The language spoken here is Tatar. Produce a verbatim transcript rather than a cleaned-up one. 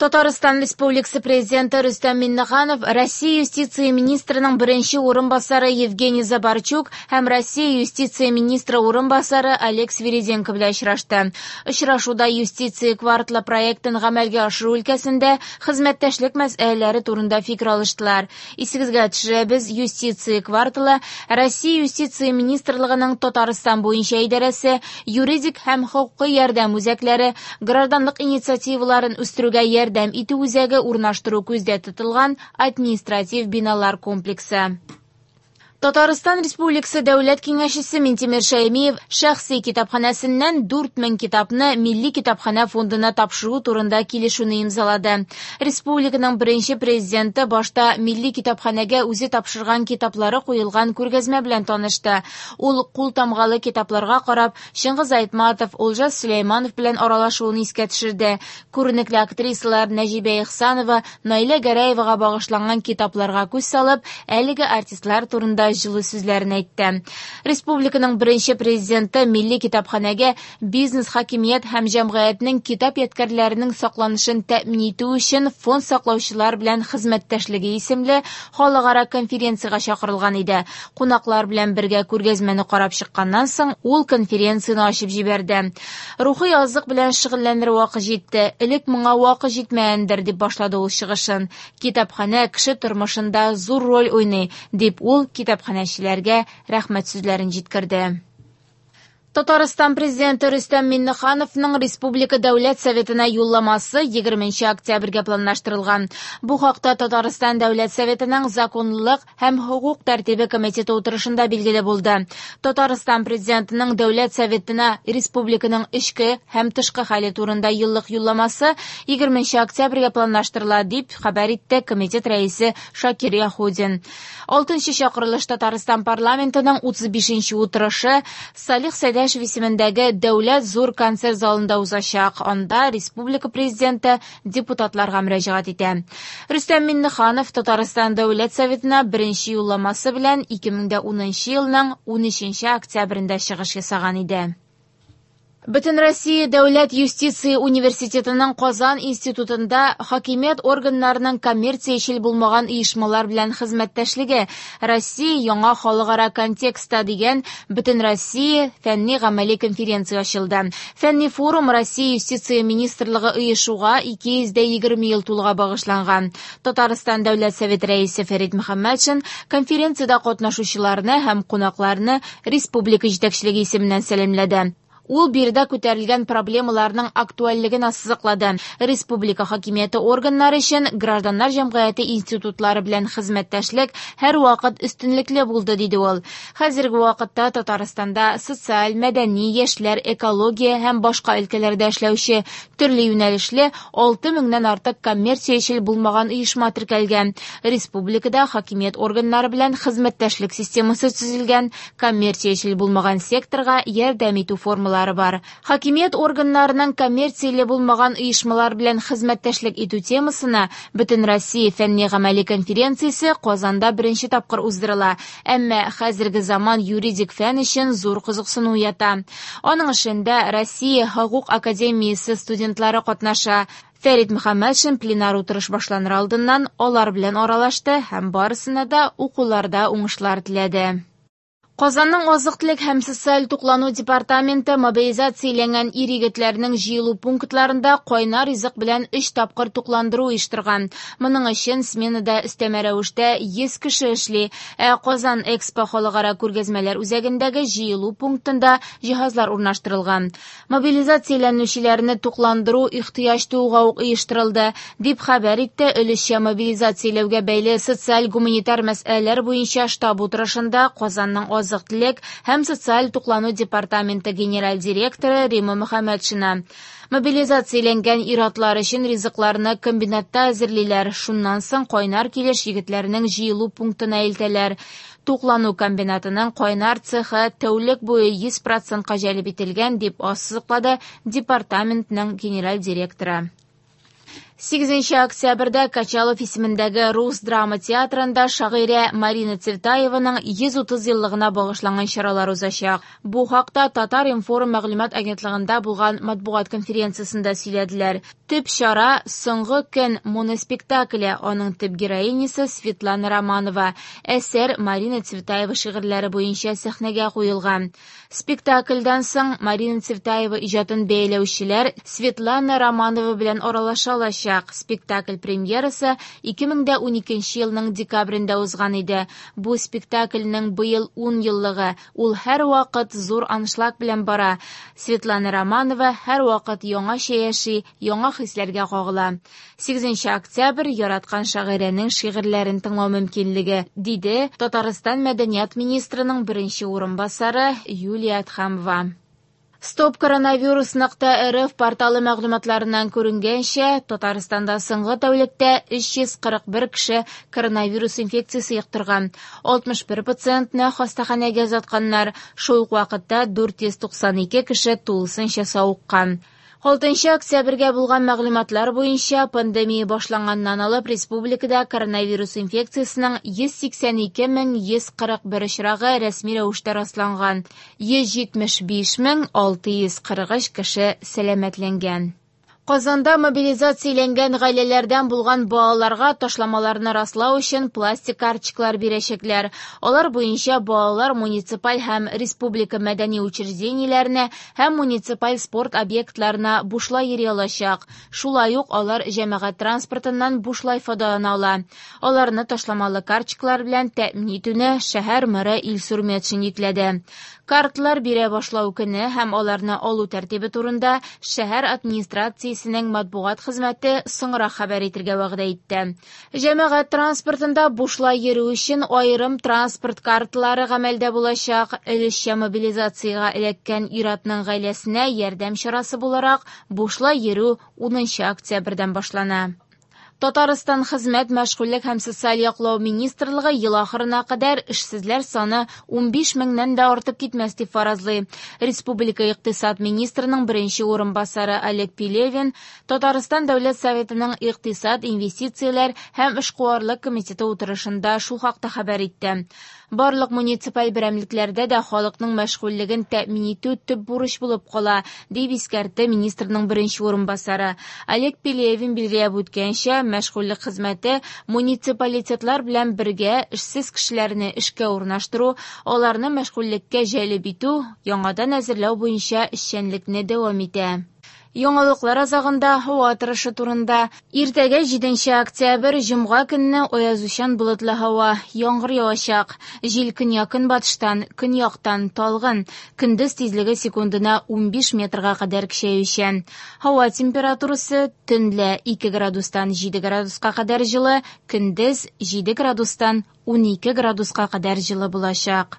Татарстан Республикасы Президенты Рөстәм Миңнеханов Россия юстиция министрының беренче урынбасары Евгений Забарчук һәм Россия юстиция министры урынбасары Олег Свириденко белән очрашты. Очрашуда юстиция кварталы проектын гамәлгә ашыру өлкәсендә хезмәттәшлек мәсьәләләре турында фикер алыштылар. Исегезгә төшерәбез, юстиция кварталы Россия юстиция министрлыгының Татарстан буенча идарәсе, юридик һәм хокукый ярдәм үзәкләре, гражданлык инициативаларын үстерүгә ярдәм итү үзәге урнаштыру күздә тотылган административ биналар комплексы. Татарстан Республикасы Дәүләт Киңәшчесе Минтимер Шәймиев шәхси китапханәсеннән дүрт мең китапны Милли китапханә фондына тапшыру турында килешүне имзалады. Республиканың беренче президенты башта Милли китапханәгә үзе тапшырган китаплары куелган күргәзмә белән танышты. Ул кул тамгалы китапларга карап, Чыңгыз Айтматов, Олжас Сөләйманов белән аралашуын искә төшерде. Күренекле актрисалар Нәҗибә Ихсанова, Наилә Гәрәевага багышланган китапларга күз салып, әлеге артистлар турында җылы сүзләрен әйтте. Республиканың беренче президенты Милли китапханәгә бизнес, хакимият һәм җәмгыятьнең китап ядкәрләренең сакланышын тәэмин итү өчен фонд саклаучылар белән хезмәттәшлеге исемле халыкара конференциягә чакырылган иде. Кунаклар белән бергә күргәзмәне карап чыкканнан соң ул конференцияне ачып җибәрде. Рухи азык белән шөгыльләнер вакыт җитте. Элек моңа вакыт җитмәгәндер, дип башлады ул чыгышын. Китапханә кеше тормышында зур роль уйный, дип ул китапханәчеләргә рәхмәт сүзләрен җиткерде. Татарстан президенты Рөстәм Миңнехановның Республика Дәүләт Советына юлламасы егерменче октябрьгә планлаштырылган. Бу хакта Татарстан Дәүләт Советының Законлылык һәм хокук тәртибе комитеты утырышында билгеле булды. Татарстан президентының Дәүләт Советына республиканың эчке һәм тышкы хәле турында еллык юлламасы егерменче октябрьгә планлаштырыла, дип хәбәр итте комитет рәисе Шакир Яһудин. Алтынчы чакырылыш Татарстан парламентының утыз бишенче утырышы Салих Сәйдәшев исемендәге Дәүләт зур концерт залында узачак. Анда республика президенты депутатларга мөрәҗәгать итә. Рөстәм Миңнеханов Татарстан Дәүләт Советына беренче юлламасы белән ике мең дә унынчы елның унөченче октябрендә чыгыш ясаган иде. Бөтенроссия Дәүләт юстиция университетының Казан институтында хакимият органнарының коммерциячел булмаган оешмалар белән хезмәттәшлеге Россия яңа халыкара контекстта дигән Бөтенроссия фәнни гамәли конференция ачылды. Фәнни форум Россия юстиция министрлыгы оешуга ике йөз дә егерме ел тулуга багышланган. Татарстан Дәүләт Советы рәисе Фәрит Мөхәммәтшин конференциядә катнашучыларны һәм кунакларны республика җитәкчелеге исеменнән сәламләде. Ул биредә күтәрелгән проблемаларның актуальлеген ассызыклады. Республика хакимияте органнары өчен гражданнар җәмгыяте институтлары белән хезмәттәшлек һәр вакыт өстенлекле булды, диде ул. Хәзерге вакытта Татарстанда социаль, мәдәни, яшьләр, экология һәм башка өлкәләрдә эшләүче төрле юнәлешле алты меңнән артык коммерциячел булмаган оешма теркәлгән. Республикада хакимият органнары белән хезмәттәшлек системасы төзелгән, коммерциячел булмаган секторга ярдәм итү формалары бар. Хакимият органнарының коммерцияле булмаган оешмалар белән хезмәттәшлек итү темасына Бөтенроссия фәнни гамәли конференциясе Казанда беренче тапкыр уздырыла. Әмма хәзерге заман юридик фән өчен зур кызыксыну уята. Аның эшендә Россия хокук академиясе студентлары катнаша. Фәрит Мөхәммәтшин пленар утырыш башланыр алдыннан алар белән аралашты һәм барысына да укуларда уңышлар теләде. Казанның азык-төлек һәм социаль туклану департаменты мобилизацияләнгән ир-егетләрнең җыелу пунктларында кайнар ризык белән өч тапкыр тукландыру оештырган. Моның өчен сменада өстәмә рәвештә йөз кеше эшли. Ә Казан Экспо халыкара күргәзмәләр үзәгендәге җыелу пунктында җиһазлар урнаштырылган. Мобилизацияләнүчеләрне тукландыру ихтыяҗ тууга ук оештырылды, дип хәбәр итте өлешчә мобилизацияләүгә бәйле социаль-гуманитар мәсьәләләр буенча штаб утырышында Казанның азык-төлек һәм социаль туклану департаменты генераль директоры Рима Мөхәммәтшина. Мобилизацияләнгән ир-атлар өчен ризыкларны комбинатта әзерлиләр. Шуннан соң кайнар килеш егетләрнең җыелу пунктына илтәләр. Туклану комбинатының кайнар цехы тәүлек буе йөз процентка җәлеп ителгән, дип ассызыклады департаментның генераль директоры. Сигезенче октябрьдә Качалов исемендәге Рус драма театрында шагыйрә Марина Цветаеваның йөз утыз еллыгына багышланган чаралар узачак. Бу хакта Татар-информ мәгълүмат агентлыгында булган матбугат конференциясендә сөйләделәр. Төп чара «Соңгы көн» моноспектакле, аның төп героинясы Светлана Романова. Әсәр Марина Цветаева шигырьләре буенча сәхнәгә куелган. Спектакльдән соң Марина Цветаева иҗатын бәяләүчеләр Светлана Романова белән аралаша алачак. Спектакль премьерасы ике мең дә уникенче елның декабрендә узган иде. Бу спектакльнең быел ун еллыгы. Ул һәрвакыт зур аншлаг белән бара. Светлана Романова һәрвакыт яңача яши, яңа хисләргә кагыла. Сигезенче октябрь яраткан шагыйрәнең шигырьләрен тыңлау мөмкинлеге, диде Татарстан мәдәният министрының беренче урынбасары Юлия Адхамова. Стоп коронавирус нокта рф порталы мәгълүматларыннан күренгәнчә, Татарстанда соңгы тәүлектә өч йөз кырык бер кеше коронавирус инфекциясе йоктырган. Алтмыш бер пациентны хастаханәгә озатканнар. Шул ук вакытта дүрт йөз туксан ике кеше тулысынча савыккан. Алтынчы октябрьгә булган мәгълүматлар буенча пандемия башланганнан алып республикада коронавирус инфекциясенең йөз сиксән ике мең йөз кырык бер очрагы рәсми рәвештә расланган. Йөз җитмеш биш мең алты йөз кырык өч кеше сәламәтләнгән. Казанда мобилизацияләнгән гаиләләрдән булган балаларга ташламаларны раслау өчен пластик карточкалар бирәчәкләр. Алар буенча балалар муниципаль һәм республика мәдәни учреждениеләренә һәм муниципаль спорт объектларына бушлай йөри алачак. Шулай ук алар җәмәгать транспортыннан бушлай файдалана ала. Аларны ташламалы карточкалар белән тәэмин итүне шәһәр мэры Илсур Метшин йөкләде. Картлар бирә башлау көне һәм аларны алу тәртибе турында шәһәр администрациясенең матбугат хезмәте соңрак хәбәр итергә вәгъдә итте. Җәмәгать транспортында бушлай йөрү өчен аерым транспорт картлары гамәлдә булачак. Өлешчә мобилизациягә эләккән ир-атның гаиләсенә ярдәм чарасы буларак бушлай йөрү унынчы октябрьдән башлана. Татарстан Хезмәт, мәшгульлек һәм социаль яклау министрлыгы ел ахырына кадәр эшсезләр саны унбиш меңнән дә артып китмәс дип фаразлый. Республика икътисад министрының беренче урынбасары Олег Пелевин Татарстан Дәүләт Советының икътисад, инвестицияләр һәм эшкуарлык комитеты утырышында шул хакта хәбәр итте. Барлык муниципаль берәмлекләрдә дә халыкның мәшгульлеген тәэмин итү төп бурыч булып кала, дип искәртте министрның беренче урынбасары. Олег Пелевин билгеләп үткәнчә, мәшгульлек хезмәте муниципалитетлар белән бергә эшсез кешеләрне эшкә урнаштыру, аларны мәшгульлеккә җәлеп итү, яңадан әзерләү буенча эшчәнлекне дәвам итә. Яңалыклар азагында һава торышы турында. Иртәгә җиденче октябрь җомга көнне аязучан болытлы һава, яңгыр явачак. Җил көньяк-көнбатыштан, көньяктан талгын, көндез тизлеге секундына унбиш метрга кадәр көчәючән. Һава температурасы төнлә ике градустан җиде градуска кадәр җылы, көндез җиде градустан унике градуска кадәр җылы булачак.